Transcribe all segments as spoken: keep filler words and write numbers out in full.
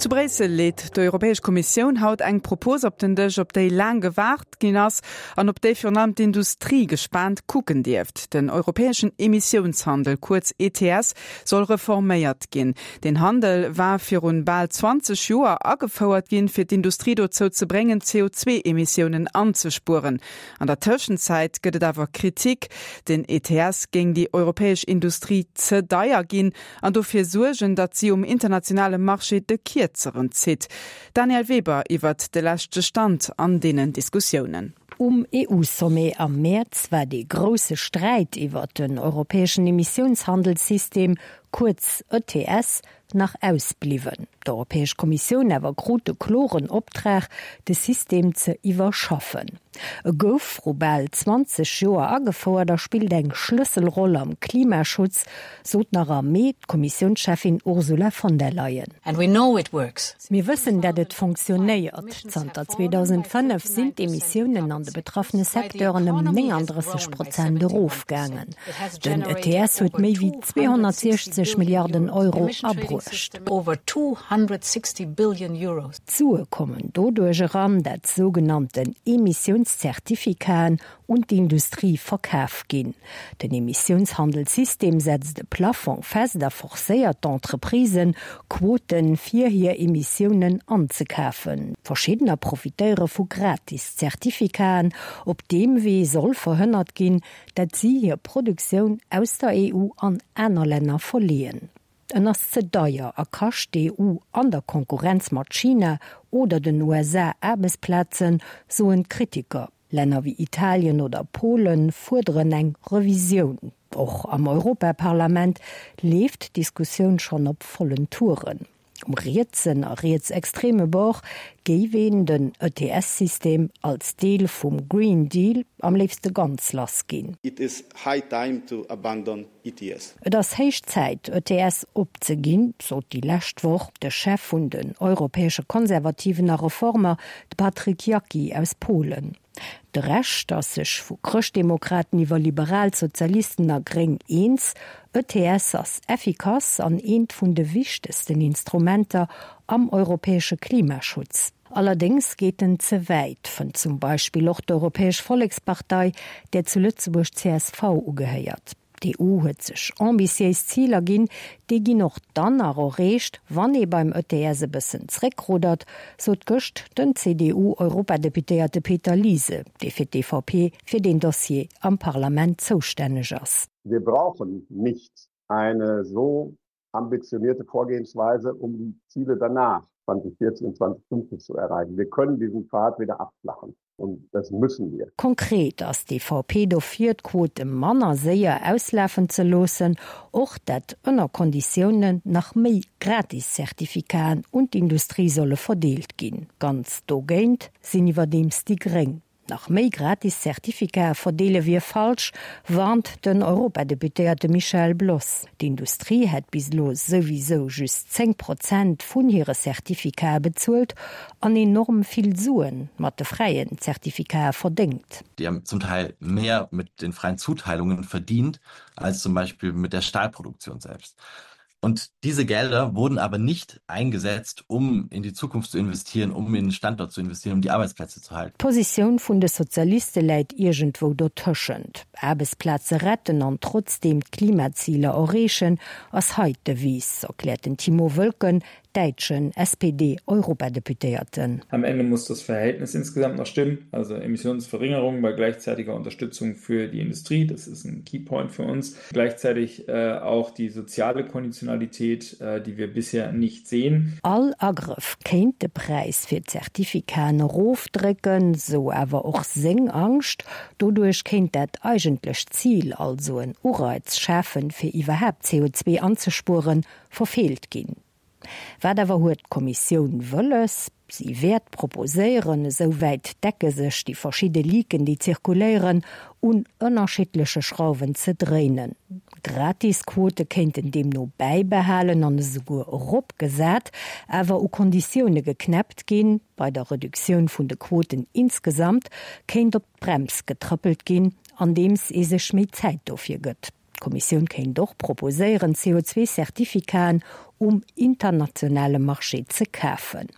Zu Bréissel leet d'Europäesch Kommissioun haut eng Propos op den Dësch, op déi laang gewaart ginn ass an op déi virun allem d'Industrie gespaant kucken dierft. Den europäeschen Emissiounshandel, kuerz E T S, soll reforméiert ginn. Den Handel war virun bal zwanzeg Joer agefouert ginn, fir d'Industrie dozou ze bréngen, C O zwee Emissiounen anzespueren. An der Tëschenzäit gëtt et awer Kritik, den E T S géing déi europäesch Industrie ze deier ginn an dofir suergen, datt si um internationale Marché de Kierzeren zitt. Danièle Weber iwwer de leschte Stand an deenen Diskussiounen. Um E U-Sommet am Mäerz war de grousse Sträit iwwer den europäeschen Emissiounshandelssystem, kuerz E T S, nach ausbliwwen. D'Europäesch Kommissioun awer krut de kloren Optrag, de System ze iwwerschaffen. E gouf viru bal zwanzeg Joer agefouert a spillt eng Schlësselroll am Klimaschutz, sot nach am Mee d'Kommissiounscheffin Ursula von der Leyen. And we know it works. Mir wëssen, dat et funktionéiert. Zanter zweedausendfënnef sinn d'Emissiounen an de betraffene Secteuren ëm nénganddrësseg Prozent erofgaangen. Den E T S huet méi wéi zweehonnertsechzeg Milliarden Euro abruecht. Over two hundred sixty billion euros. D'Sue kommen doduerch eran, dat sougenannten Emissiounszertifikaten un d'Industrie verkaf ginn. Den Emissiounshandelssystem setzt de Plafong fest a forcéiert d'Entreprisen, Quoten fir hir Emissiounen anzekafen. Verschiddener profitéiere vu gratis Zertifikaten. Op deem Wee soll verhënnert ginn, dat si hir Produktioun aus der E U an aner Länner verleeën. En ass ze deier a kascht d'E U an der Konkurrenz mat China oder den U S A Aarbechtsplazen, soen d'Kritiker. Länner wéi Italien oder Polen fuerderen eng Revisioun. Och am Europaparlament leeft d'Diskussioun schonn op vollen Touren. Um rietsen a rietsextreme Bord géif een den E T S-System als Deel vum Green Deal am léifste ganz lass ginn. It is high time to abandon E T S. Et ass héich Zäit, E T S opzeginn, sot déi lescht Woch de Chef vun den europäesche Konservativen a Reformer, de Patryk Jaki aus Polen. De Rescht ass sech vu Chrëschtdemokraten iwwer Liberalsozialisten a Gréng eens, E T S ass effikass an eent vun de wichtegsten Instrumenter am europäesche Klimaschutz. Allerdéngs geet en ze wäit, fënnt zum Beispill och d'Europäesch Vollekspartei, där zu Lëtzebuerg C S V ugehéiert. D'E U huet sech ambitiéis Ziler ginn, déi ginn och dann nach erreecht, wann ee beim E T S e bëssen zréckruddert, sot gëscht den C D U-Europadeputéierte Peter Liese, dee fir d'E V P fir den Dossier am Parlament zoustänneg ass. Wir brauchen nicht eine so ambitionierte Vorgehensweise, um die Ziele danach zweitausendvierzig und zweitausendfünfzig zu erreichen. Wir können diesen Pfad wieder abflachen. Und das müssen wir. Konkret ass d'E V P dofir, d'Quote manner séier auslafen ze loossen, och dat ënner Konditiounen nach méi Gratis-Zertifikaten un d'Industrie solle verdeelt ginn. Ganz dogéint sinn iwwerdeems déi Gréng. Nach méi gratis Zertifikater verdeele wier falsch, warnt den Europadeputéierte Michel Bloss. D'Industrie hätt bis elo souwisou just zéng Prozent vun hire Zertifikater bezuelt an enorm vill Suen mat de fräien Zertifikater verdéngt. Die haben zum Teil mehr mit den freien Zuteilungen verdient als zum Beispiel mit der Stahlproduktion selbst. Und diese Gelder wurden aber nicht eingesetzt, um in die Zukunft zu investieren, um in den Standort zu investieren, um die Arbeitsplätze zu halten. D'Positioun vun de Sozialiste läit iergendwou dotëschent. Aarbechtsplaze retten an trotzdeem d'Klimaziler erreechen, ass hei d'Devise, erkläert den Tiemo Wölken, däitschen S P D-Europadeputéierten. Am Ende muss das Verhältnis insgesamt noch stimmen, also Emissionsverringerung bei gleichzeitiger Unterstützung für die Industrie, das ist ein Key Point für uns. Gleichzeitig äh, auch die soziale Konditionalität, äh, die wir bisher nicht sehen. All Agrëff kéint de Präis fir Zertifikaten erofdrécken, sou awer och seng Angscht. Doduerch kéint dat eigentlecht Zil, also en Ureiz schafen, fir iwwerhaapt C O zwee anzespueren, verfeelt ginn. Wat awer huet d'Kommissioun wëlles? Si wäert proposéieren, esouwäit decke sech déi verschidde Leaken, déi zirkuléieren, un ënnerschiddleche Schrauwen ze dréinen. Gratisquote kéinten deemno bäibehalen an esouguer eropgesat, awer u Konditioune geknäppt ginn, bei der Reduktioun vun de Quoten insgesamt kéint op d'Brems getrëppelt ginn, andeems ee sech méi Zäit dofir gëtt. D'Kommissioun kéint och proposéieren, C O zwei Zertifikaten um internationale Marché ze kafen.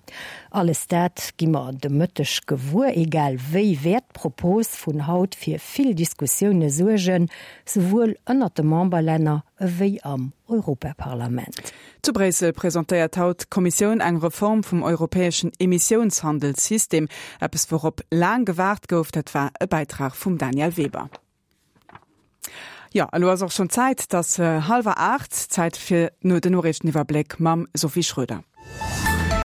Alles dat gi mer de Mëtteg gewuer, egal wéi wäert d'Propos vun haut fir vill Diskussioune suergen, souwuel ënnert de Memberlänner ewéi am Europaparlament. Zu Bréissel presentéiert haut d'Kommissioun eng Reform vum europäeschen Emissiounshandelssystem. Eppes wourop laang gewaart gouf, dat war e Bäitrag vum Daniel Weber. Jo, elo ass och schonn Zäit, et ass hallwer aacht, Zäit fir no den Noriichteniwwerbléck mam Sophie Schröder.